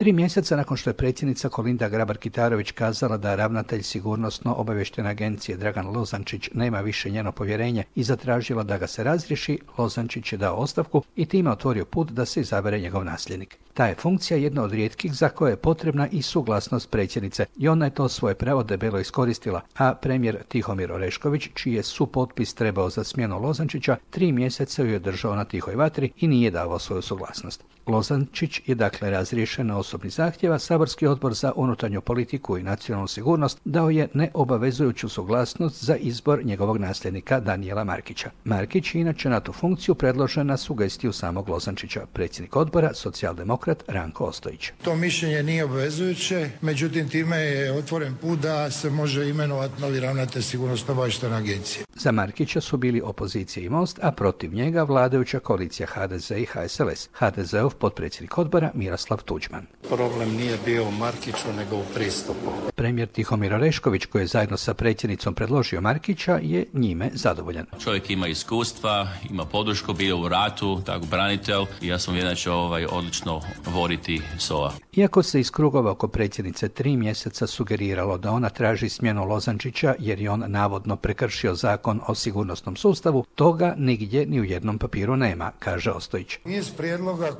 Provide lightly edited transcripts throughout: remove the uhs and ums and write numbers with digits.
3 mjeseca nakon što je predsjednica Kolinda Grabar-Kitarović kazala da ravnatelj sigurnosno-obavještajne agencije Dragan Lozančić nema više njeno povjerenje i zatražila da ga se razriješi, Lozančić je dao ostavku i time otvorio put da se izabere njegov nasljednik. Ta je funkcija jedna od rijetkih za koje je potrebna i suglasnost predsjednice i ona je to svoje pravo debelo iskoristila, a premijer Tihomir Orešković, čiji je supotpis trebao za smjenu Lozančića, 3 mjeseca ju je držao na tihoj vatri i nije davao svoju suglasnost. Lozančić je dakle razriješen na osobni zahtjev, a saborski odbor za unutarnju politiku i nacionalnu sigurnost dao je neobavezujuću suglasnost za izbor njegovog nasljednika Danijela Markića. Markić je inače na tu funkciju predložen na sugestiju samog Lozančića, predsjednik odbora, socijaldemokrat Ranko Ostojić. To mišljenje nije obvezujuće, međutim time je otvoren put da se može imenovati novi ravnatelj sigurnosno-obavještajne agencije. Za Markića su bili opozicija i Most, a protiv njega vladajuća koalicija HDZ i HSLS. HDZ-ov potpredsjednik odbora Miroslav Tuđman. Problem nije bio u Markiću, nego u pristupu. Premijer Tihomir Orešković, koji je zajedno sa predsjednicom predložio Markića, je njime zadovoljan. Čovjek ima iskustva, ima podršku, bio u ratu, tako branitelj i ja sam uvjeren da će odlično voditi SOA. Iako se iz krugova oko predsjednice 3 mjeseca sugeriralo da ona traži smjenu Lozančića jer je on navodno prekršio zakon o sigurnosnom sustavu, toga nigdje ni u jednom papiru nema, kaže Ostojić. Iz prijedloga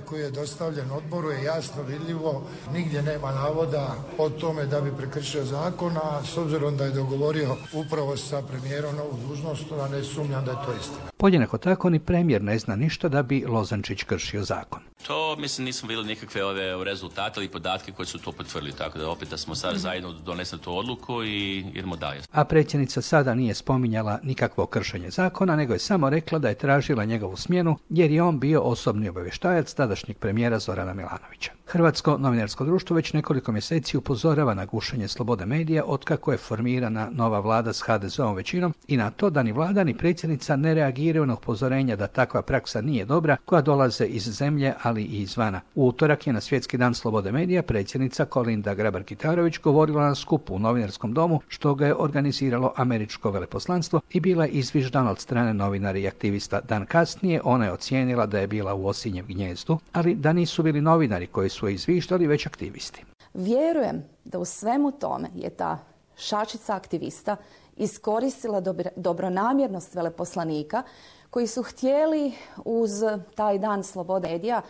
koji je dostavljen odboru je jasno vidljivo, nigdje nema navoda o tome da bi prekršio zakon, a s obzirom da je dogovorio upravo sa premijerom novu dužnost, da ne sumnjam da je to istina. Podjednako tako ni premijer ne zna ništa da bi Lozančić kršio zakon. To, mislim, nismo vidjeli nikakve rezultate ili podatke koji su to potvrdili, tako da opet da smo sad zajedno donesli tu odluku i idemo dalje. A predsjednica sada nije spominjala nikakvo kršenje zakona, nego je samo rekla da je tražila njegovu smjenu jer je on bio osobni obavještajac tadašnjeg premijera Zorana Milanovića. Hrvatsko novinarsko društvo već nekoliko mjeseci upozorava na gušenje slobode medija otkako je formirana nova vlada s HDZ-ovom većinom i na to da ni vlada ni predsjednica ne reagiraju na upozorenja da takva praksa nije dobra koja dolaze iz zemlje, ali i izvana. U utorak je na Svjetski dan slobode medija predsjednica Kolinda Grabar-Kitarović govorila na skupu u Novinarskom domu, što ga je organiziralo američko veleposlanstvo i bila je izviždana od strane novinara i aktivista. Dan kasnije ona je ocijenila da je bila u osinjem gnjezdu, ali da nisu bili novinari koji su je izviždali, već aktivisti. Vjerujem da u svemu tome je ta šačica aktivista iskoristila dobronamjernost veleposlanika koji su htjeli uz taj dan slobode medija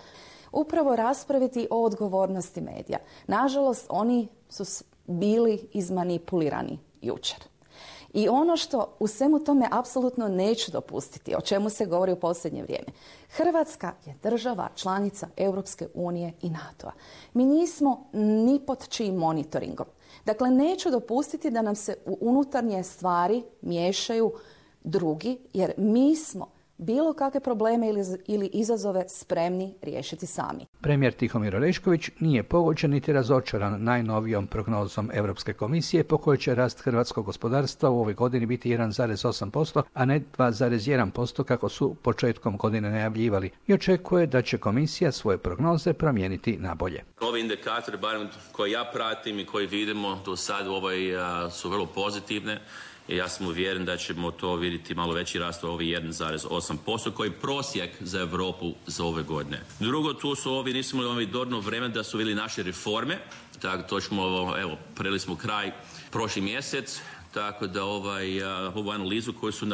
upravo raspraviti o odgovornosti medija. Nažalost, oni su bili izmanipulirani jučer. I ono što u svemu tome apsolutno neću dopustiti, o čemu se govori u posljednje vrijeme. Hrvatska je država članica Europske unije i NATO-a. Mi nismo ni pod čijim monitoringom. Dakle, neću dopustiti da nam se u unutarnje stvari miješaju drugi, jer mi smo bilo kakve probleme ili izazove spremni riješiti sami. Premijer Tihomir Orešković nije pogođen niti razočaran najnovijom prognozom Europske komisije po kojoj će rast hrvatskog gospodarstva u ovoj godini biti 1,8%, a ne 2,1% kako su početkom godine najavljivali i očekuje da će komisija svoje prognoze promijeniti na bolje. Ovi indikatori, barem koje ja pratim i koji vidimo do sad su vrlo pozitivne. I ja sam uvjeren da ćemo to vidjeti malo veći rast u ovi 1,8% koji je prosjek za Europu za ove godine. Drugo, tu su nismo imali dovoljno vremena da su vidjeli naše reforme, tako to ćemo, preli smo kraj prošli mjesec, tako da ovu analizu koju su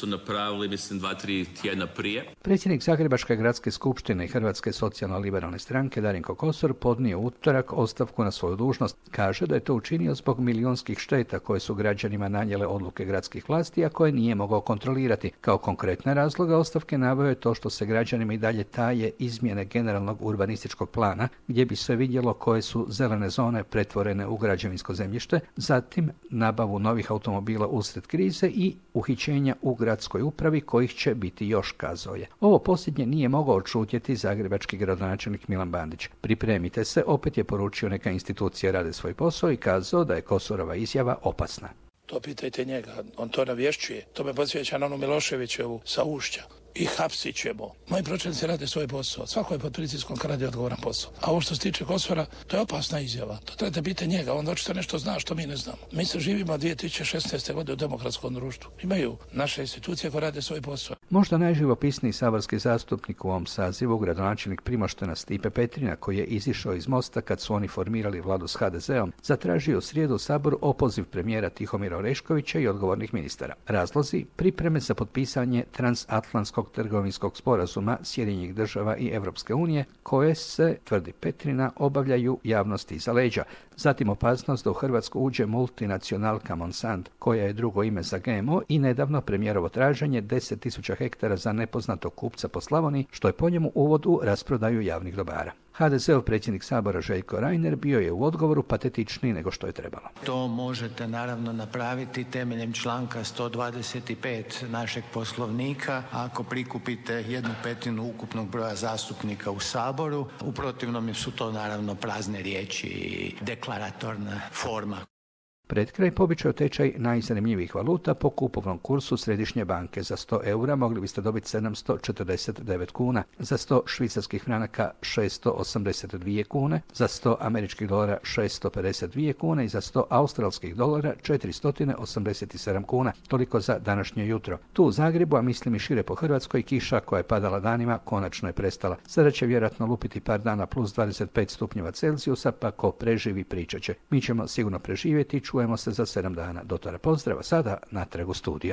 napravili mislim 2-3 tjedna prije. Predsjednik Zagrebačke gradske skupštine i Hrvatske socijalno-liberalne stranke Darinko Kosor podnio utorak ostavku na svoju dužnost. Kaže da je to učinio zbog milijunskih šteta koje su građanima nanijele odluke gradskih vlasti, a koje nije mogao kontrolirati. Kao konkretne razloga ostavke naveo je to što se građanima i dalje taje izmjene generalnog urbanističkog plana, gdje bi se vidjelo koje su zelene zone pretvorene u građevinsko zemljište, zatim nabavu novih automobila usred krize i uhićenja u gradskoj upravi kojih će biti još, kazao je. Ovo posljednje nije mogao odšutjeti zagrebački gradonačelnik Milan Bandić. Pripremite se, opet je poručio neka institucije rade svoj posao i kazao da je Kosorova izjava opasna. To pitajte njega, on to navješćuje. To me podsjeća na onu Miloševićevu sa Ušća. i hapsit ćemo. Moji pročelnici rade svoj posao. Svako je pod pritiskom kad radi odgovoran posao. A ovo što se tiče Kosora, to je opasna izjava. To treba da biti njega. On očito nešto zna što mi ne znamo. Mi se živimo 2016. godine u demokratskom društvu. Imaju naše institucije koje rade svoj posao. Možda najživopisniji saborski zastupnik u ovom sazivu, gradonačelnik Primoštena Stipe Petrina, koji je izišao iz Mosta kad su oni formirali vladu s HDZ-om, zatražio u srijedu u Saboru opoziv premijera Tihomira Oreškovića i odgovornih ministara. Razlozi: pripreme za potpisanje transatlantskog trgovinskog sporazuma Sjedinjenih država i Europske unije, koje se, tvrdi Petrina, obavljaju javnosti iza leđa. Zatim opasnost da u Hrvatsku uđe multinacionalka Monsanto, koja je drugo ime za GMO, i nedavno premijerovo traženje 10.000 hektara za nepoznatog kupca po Slavoniji, što je po njemu uvod u rasprodaju javnih dobara. HDZ-ov predsjednik Sabora Željko Reiner bio je u odgovoru patetičniji nego što je trebalo. To možete naravno napraviti temeljem članka 125 našeg Poslovnika ako prikupite 1/5 ukupnog broja zastupnika u Saboru. U protivnom su to naravno prazne riječi i deklaratorna forma. Pred kraj pobičao tečaj najzanimljivijih valuta po kupovnom kursu Središnje banke. Za 100 eura mogli biste dobiti 749 kuna, za 100 švicarskih franaka 682 kune, za 100 američkih dolara 652 kune i za 100 australskih dolara 487 kuna. Toliko za današnje jutro. Tu u Zagrebu, a mislim i šire po Hrvatskoj, kiša koja je padala danima konačno je prestala. Sada će vjerojatno lupiti par dana plus 25 stupnjeva Celzijusa, pa ko preživi pričat će. Mi ćemo sigurno preživjeti. Čujemo se za 7 dana. Do tada pozdrava, sada natrag u studija.